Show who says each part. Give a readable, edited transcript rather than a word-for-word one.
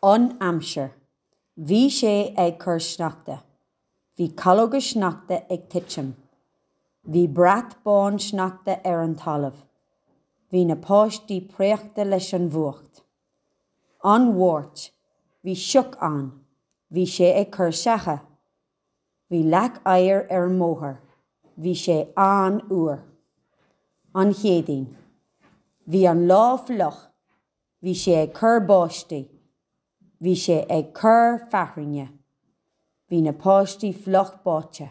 Speaker 1: An aimsir. Bhí sé ag cur sneachta. Bhí calóga sneachta ag titim. Bhí brat bán sneachta ar an talamh. Bhí na páistí préachta leis an bhfuacht. An Mháirt. Bhí sioc ann. Bhí sé ag cur ceatha. Bhí leac oighir ar an mbóthar. Bhí sé an-fhuar. An Chéadaoin. Bhí an lá fliuch. Bhí sé ag cur báistí. Bhí sé ag cur fearthainne. Bhí na páistí fliuch báite.